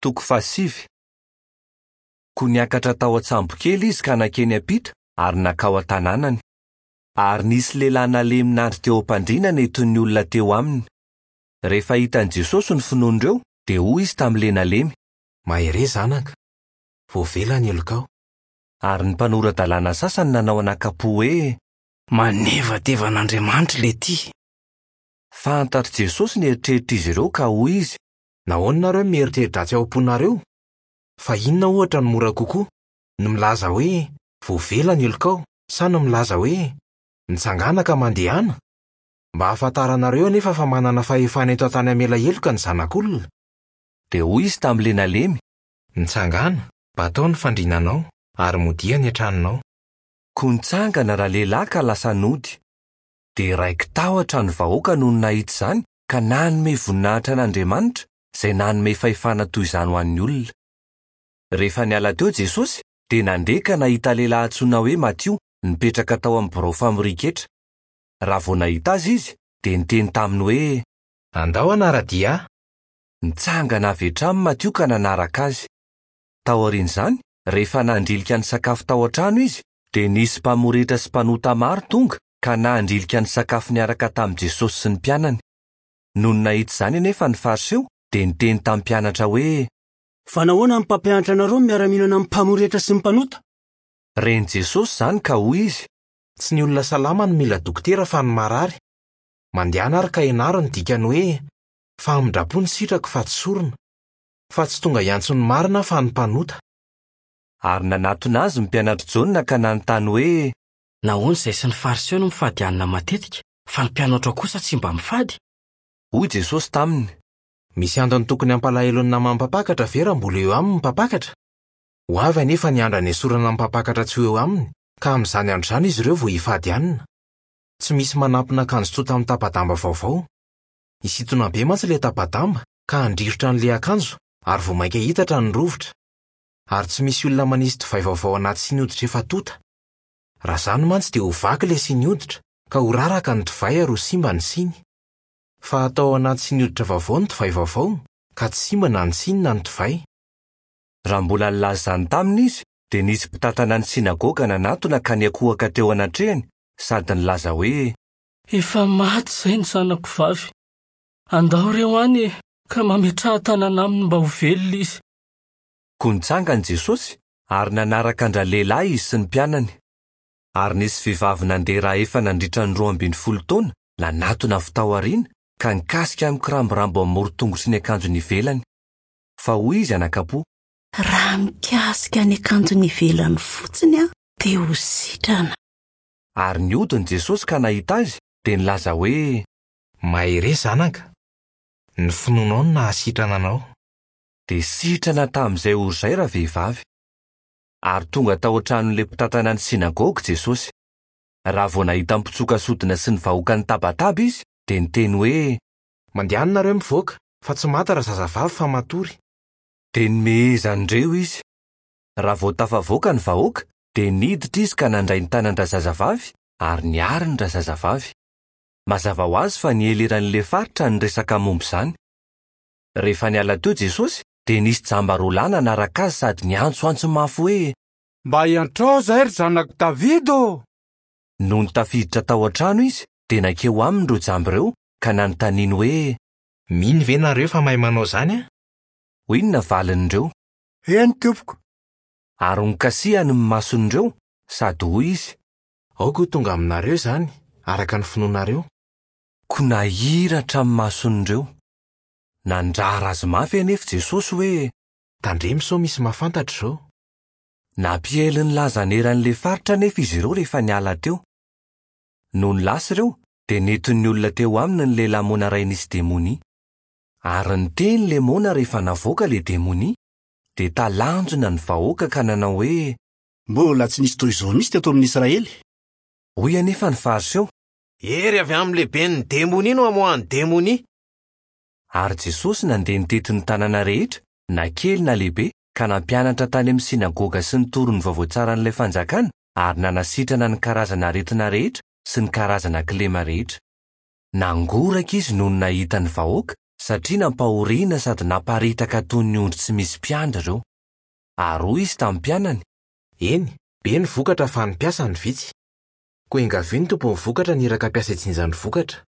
Toko fahasivy. Koa niakatra tao an-tsambokely izy ka nankeny am-pita ary nankao an-tanànany. Ary nisy lehilahy nalemy nandry teo am-pandriana nentin'ny olona teo aminy. Rehefa hitan'i Jesosy ny finoan'ireo, dia hoy izy tamin'ilay nalemy. Mahereza anaka, voavela ny helokao. Ary ny mpanora-dalàna sasany nanao anakam-po hoe. Manevateva an'Andriamanitra ilay ity. Fantatr'i Jesosy ny eritreritr'izy ireo ka hoy izy. Nahoana nareo no mieritreri-dratsy ao am-ponareo? Fa inona ohatra no mora kokoa, ny milaza hoe, 'Voavela ny helokao', sa ny milaza hoe, 'Mitsangàna ka mandehana'? Mba hahafantaranareo anefa fa manana fahefana eto an-tany hamela heloka ny Zanak'olona. Dia hoy izy tamin'ilay nalemy. Mitsangàna, batao ny fandriananao, ary modia any an-tranonao. Koa nitsangana ralehilahy ka lasa nody. Dia raiki-tahotra ny vahoaka nony nahita izany ka nanome voninahitra an'Andriamanitra, izay nanome fahefana toy izany ho an'ny olona. Rehefa niala teo Jesosy, dia nandeha ka nahita lehilahy antsoina hoe Matio nipetraka tao amin'ny birao famorian-ketra. Raha vao nahita azy izy, dia niteny taminy hoe. Andao hanara-dia ahy. Nitsangana avy hatrany Matio ka nanaraka azy. Taorian'izany, rehefa nandrilika nisakafo tao an-trano izy, dia nisy mpamoretra sy mpanota maro tonga ka nandrilika nisakafo niaraka tamin'i Jesosy sy ny mpianany. Nony nahita izany anefa ny Fariseo, dia niteny tamin'ny mpianatra hoe. Fa nahoana ny mpampianatra anareo no miara-mihinana amin'ny mpamoretra sy ny mpanota? Ren'i Jesosy izany ka hoy izy. Tsy ny olona salama no mila dokotera fa ny marary. Mandehana ary ka ianaro ny dikany hoe, Famindram-po ny sitrako fa tsy sorona. Fa tsy tonga hiantso ny marina aho fa ny mpanota. Ary nanatona azy ny mpianatr'i Jaona ka nanontany hoe. Nahoana izahay sy ny Fariseo no mifady hanina matetika, fa ny mpianatrao kosa tsy mba mifady? Hoy Jesosy taminy. Misy antony tokony hampalahelo ny naman'ny mpampakatra ve raha mbola eo aminy ny mpampakatra? Ho avy anefa ny andro hanesorana ny mpampakatra tsy ho eo aminy, ka amin'izany andro izany izy ireo vao hifady hanina. Tsy misy manampina akanjo tsotra amin'ny tapa-damba vaovao. Hisintona be mantsy ilay tapa-damba, ka handrirotra an'ilay akanjo, ary vao mainka hitatra ny rovitra. Ary tsy misy olona manisy divay vaovao anaty siny hoditra efa tonta. Raha izany mantsy dia ho vaky ilay siny hoditra, ka ho raraka ny divay ary ho simba ny siny. Fa atao ao anaty siny hoditra vaovao ny divay vaovao, ka tsy simba na ny siny na ny divay. Raha mbola nilaza izany taminy izy, dia nisy mpitantana ny synagoga nanatona ka niankohoka teo anatrehany sady nilaza hoe. Efa maty izay ny zanako vavy. Andao re ho any e, ka mametraha tanana aminy mba ho velona izy. Koa nitsangana Jesosy ary nanaraka an-dralehilahy izy sy ny mpianany. Ary nisy vehivavy nandeha ra efa nandritra ny 12 taona nanatona avy tao aoriana ka nikasika ny kirambirambo amin'ny moron-tongotry ny akanjony ivelany. Fa hoy izy anakam-po. Raha mikasika ny akanjony ivelany fotsiny aho dia ho sitrana. Ary nihodina Jesosy ka nahita azy, dia nilaza hoe. Mahereza zanaka, ny finoanao no nahasitrana anao. Dia sitrana tamin'izay ora izay ravehivavy. Ary tonga tao an-tranon'ilay mpitantana ny synagoga Jesosy. Raha vao nahita ny mpitsoka sodina sy ny vahoaka nitabataba izy, dia niteny hoe. Mandehana nareo mivoaka, fa tsy maty razazavavy fa matory. Dia nomehezan'ireo izy. Raha vao tafavoaka ny vahoaka, dia niditra izy ka nandray ny tanan-drazazavavy ary niariny razazavavy. Mazava ho azy fa niely eran'ilay faritra ny resaka momba izany. Rehefa niala teo Jesosy, dia nisy jamba roa lahy nanaraka azy sady niantsoantso mafy hoe. Mba iantrao izahay, ry zanak'i Davida ô! Nony tafiditra tao an-trano izy, dia nankeo aminy ireo jamba ireo ka nanontaniany hoe. Mino ve nareo fa mahay manao izany aho? Hoy ny navalin'ireo. Eny, tompoko. Ary nokasihany ny mason'ireo, sady hoy izy. Aoka ho tonga aminareo izany, araka ny finoanareo. Koa nahiratra ny mason'ireo. Nandrara azy mafy anefa Jesosy hoe. Tandremo sao misy mahafantatra izao. Nampiely ny lazany eran'ilay faritra anefa izy ireo rehefa niala teo. Nony lasa ireo, dia nentin'ny olona teo aminy ny lehilahy moana iray nisy demonia. Ary niteny ilay moana rehefa navoaka ilay demonia, dia talanjona ny vahoaka ka nanao hoe. Mbola tsy nisy toy izao mihitsy teto amin'ny Israely. Hoy anefa ny Fariseo. Hery avy amin'ny lehiben'ny demonia no amoahan'ny demonia. Ary Jesosy nandeha nitety ny tanàna rehetra, na kely na lehibe, ka nampianatra tany amin'ny synagoga sy nitory ny vaovao tsaran'ilay fanjakana ary nanasitrana ny karazana aretina rehetra sy ny karazana kilema rehetra. Nangoraka izy nony nahita ny vahoaka satria nampahoriana sady naparitaka toy ny ondry tsy misy mpiandry ireo. Ary hoy izy tamin'ny mpianany, Eny, be ny vokatra fa ny mpiasa no vitsy. Koa iangavio ny tompon'ny vokatra ny iraka mpiasa hijinja ny vokatra.